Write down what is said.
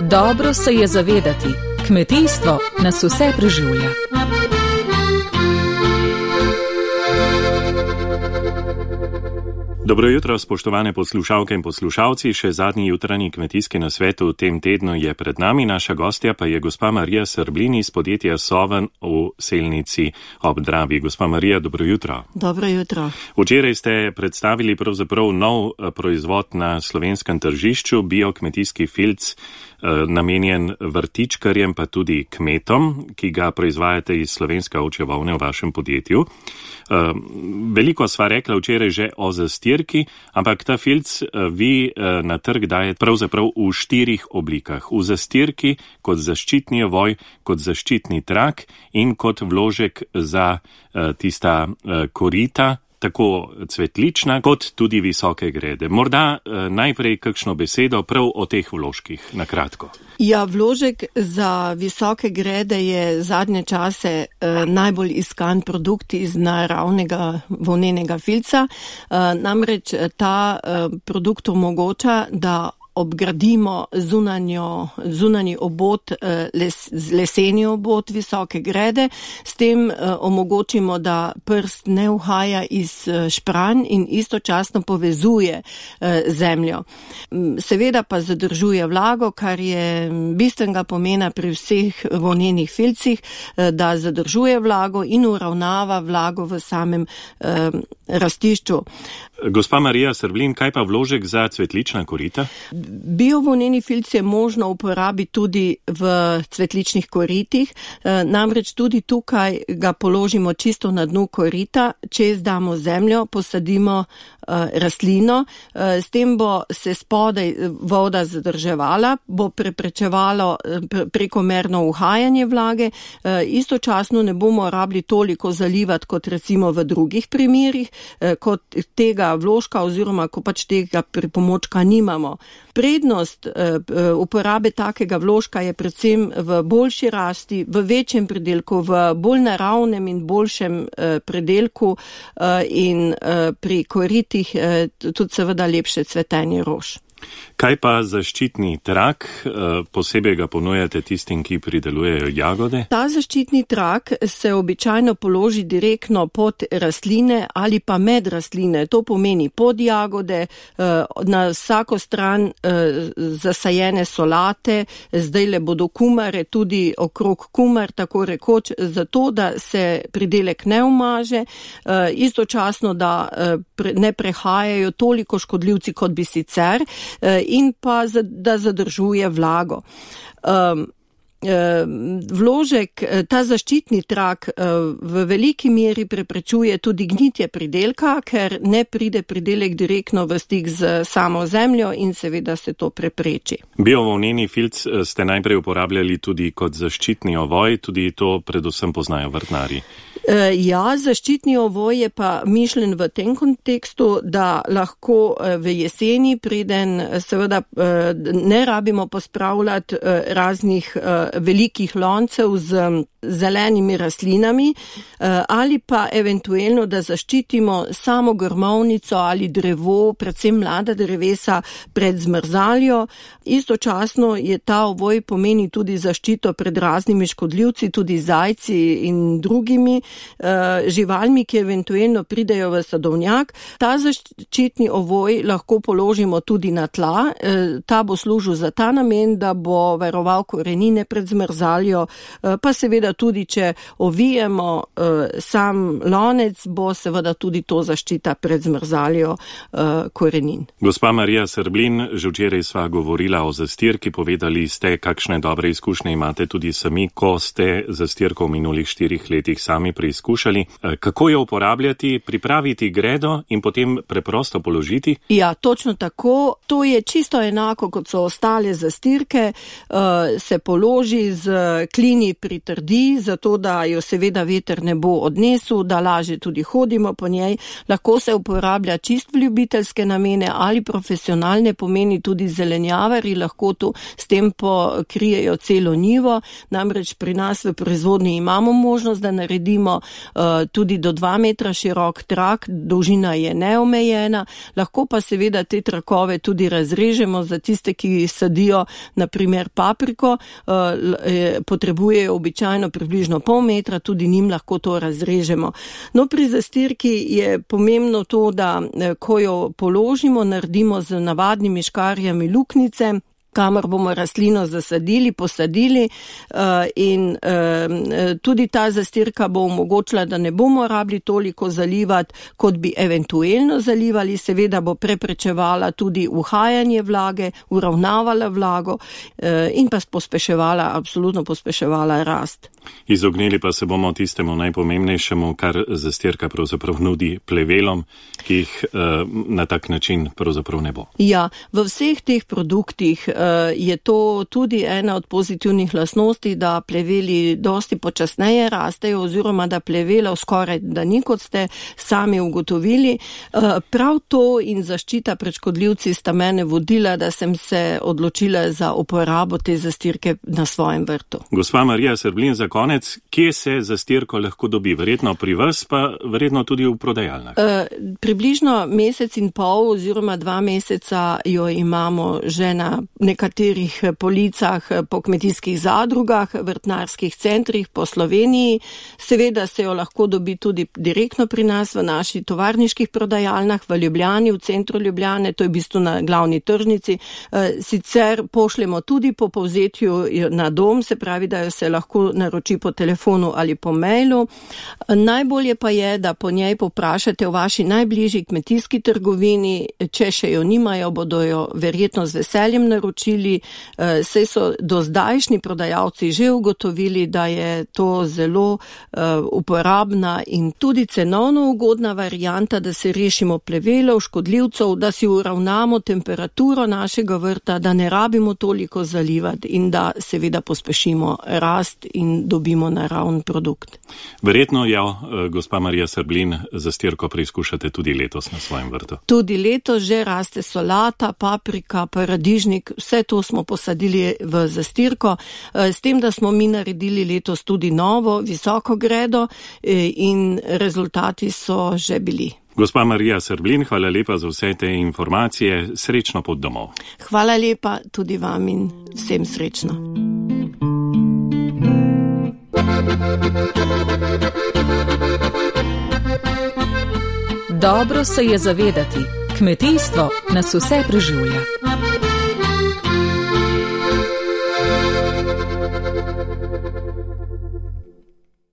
Dobro se je zavedati, kmetijstvo nas vse preživlja. Dobro jutro, spoštovane poslušalke in poslušalci. Še zadnji jutranji kmetijski nasvet v tem tednu je pred nami. Naša gostja pa je gospa Marija Srblin iz podjetja Soven v Selnici ob Dravi. Gospa Marija, dobro jutro. Dobro jutro. Včeraj ste predstavili pravzaprav nov proizvod na slovenskem tržišču, biokmetijski filc, namenjen vrtičkarjem pa tudi kmetom, ki ga proizvajate iz slovenske ovčje volne v vašem podjetju. Veliko sva rekla včeraj že o zastirki, ampak ta filc vi na trg dajete pravzaprav v 4 oblikah. V zastirki, kot zaščitni ovoj, kot zaščitni trak in kot vložek za tista korita, tako cvetlična, kot tudi visoke grede. Morda najprej kakšno besedo prav o teh vložkih, na kratko. Ja, vložek za visoke grede je zadnje čase najbolj iskan produkt iz naravnega volnenega filca. Namreč ta produkt omogoča, da obgradimo zunanji obod, leseni obod visoke grede, s tem omogočimo, da prst ne uhaja iz špranj in istočasno povezuje zemljo. Seveda pa zadržuje vlago, kar je bistvenega pomena pri vseh volnenih filcih, da zadržuje vlago in uravnava vlago v samem rastišču. Gospa Marija Srblin, kaj pa vložek za cvetlična korita? Biovolneni filc je možno uporabiti tudi v cvetličnih koritih, namreč tudi tukaj ga položimo čisto na dnu korita, čez damo zemljo, posadimo rastlino, s tem bo se spodaj voda zadrževala, bo preprečevalo prekomerno uhajanje vlage, istočasno ne bomo rabili toliko zalivati kot recimo v drugih primerih, kot tega vložka oziroma ko pač tega pripomočka nimamo. Prednost uporabe takega vložka je predvsem v boljši rasti, v večjem predelku, v bolj naravnem in boljšem predelku in pri koritih tudi seveda lepše cvetenje rož. Kaj pa zaščitni trak, posebej ga ponujate tistim, ki pridelujejo jagode? Ta zaščitni trak se običajno položi direktno pod rastline ali pa med rastline. To pomeni pod jagode, na vsako stran zasajene solate, zdajle bodo kumare, tudi okrog kumar, tako rekoč, zato da se pridelek ne umaže, istočasno da ne prehajajo toliko škodljivci, kot bi sicer, in pa da zadržuje vlago. Vložek, ta zaščitni trak v veliki meri preprečuje tudi gnitje pridelka, ker ne pride pridelek direktno v stik z samo zemljo in seveda se to prepreči. Biovolneni filc ste najprej uporabljali tudi kot zaščitni ovoj, tudi to predvsem poznajo vrtnarji. Ja, zaščitni ovoj je pa mišljen v tem kontekstu, da lahko v jeseni, preden seveda ne rabimo pospravljati raznih velikih loncev z zelenimi rastlinami, ali pa eventuelno, da zaščitimo samo grmovnico ali drevo, predvsem mlada drevesa, pred zmrzaljo. Istočasno je ta ovoj pomeni tudi zaščito pred raznimi škodljivci, tudi zajci in drugimi živalmi, ki eventuelno pridejo v sadovnjak. Ta zaščitni ovoj lahko položimo tudi na tla. Ta bo služil za ta namen, da bo varoval korenine pred zmrzaljo, pa seveda tudi, če ovijemo sam lonec, bo seveda tudi to zaščita pred zmrzaljo korenin. Gospa Marija Srblin, že včeraj sva govorila o zastirki, povedali ste, kakšne dobre izkušnje imate tudi sami, ko ste zastirko v minulih 4 letih sami preizkušali. Kako jo uporabljati, pripraviti gredo in potem preprosto položiti? Ja, točno tako. To je čisto enako, kot so ostale zastirke. Se položi z klini pritrdi, zato da jo seveda veter ne bo odnesel, da lažje tudi hodimo po njej. Lahko se uporablja čist v ljubiteljske namene ali profesionalne, pomeni tudi zelenjavari, lahko to s tem pokrijejo celo njivo. Namreč pri nas v proizvodnji imamo možnost, da naredimo imamo tudi do 2 metra širok trak, dolžina je neomejena, lahko pa seveda te trakove tudi razrežemo za tiste, ki sadijo naprimer papriko, potrebujejo običajno približno pol metra, tudi njim lahko to razrežemo. No, pri zastirki je pomembno to, da ko jo položimo, naredimo z navadnimi škarjami luknjice, kamor bomo rastlino zasadili, posadili in tudi ta zastirka bo omogočila, da ne bomo rabili toliko zalivati, kot bi eventuelno zalivali, seveda bo preprečevala tudi uhajanje vlage, uravnavala vlago in pa absolutno pospeševala rast. Izognili pa se bomo tistemu najpomembnejšemu, kar zastirka pravzaprav nudi plevelom, ki jih na tak način pravzaprav ne bo. Ja, v vseh teh produktih je to tudi ena od pozitivnih lastnosti, da pleveli dosti počasneje rastejo oziroma da plevelov skoraj da ni, kot ste sami ugotovili. Prav to in zaščita pred škodljivci sta mene vodila, da sem se odločila za uporabo te zastirke na svojem vrtu. Gospa Marija Srblin, za konec, kje se zastirko lahko dobi? Verjetno pri vas, pa verjetno tudi v prodajalnah. Približno mesec in pol oziroma 2 meseca jo imamo že na nekaterih policah po kmetijskih zadrugah, vrtnarskih centrih po Sloveniji. Seveda se jo lahko dobi tudi direktno pri nas v naši tovarniških prodajalnah v Ljubljani, v centru Ljubljane, to je v bistvu na glavni tržnici. Sicer pošljemo tudi po povzetju na dom, se pravi, da jo se lahko naroči po telefonu ali po mailu. Najbolje pa je, da po njej poprašate v vaši najbližji kmetijski trgovini, če še jo nimajo, bodo jo verjetno z veseljem naročili. Saj so do zdajšnji prodajalci že ugotovili, da je to zelo uporabna in tudi cenovno ugodna varianta, da se rešimo plevelov, škodljivcev, da si uravnamo temperaturo našega vrta, da ne rabimo toliko zalivati in da seveda pospešimo rast in dobimo naravn produkt. Verjetno jo, gospa Marija Srblin, zastirko preizkušate tudi letos na svojem vrtu. Tudi letos že raste solata, paprika, paradižnik, vse to smo posadili v zastirko, s tem, da smo mi naredili letos tudi novo, visoko gredo in rezultati so že bili. Gospa Marija Srblin, hvala lepa za vse te informacije, srečno pot domov. Hvala lepa tudi vam in vsem srečno. Dobro se je zavedati, kmetijstvo nas vse preživlja.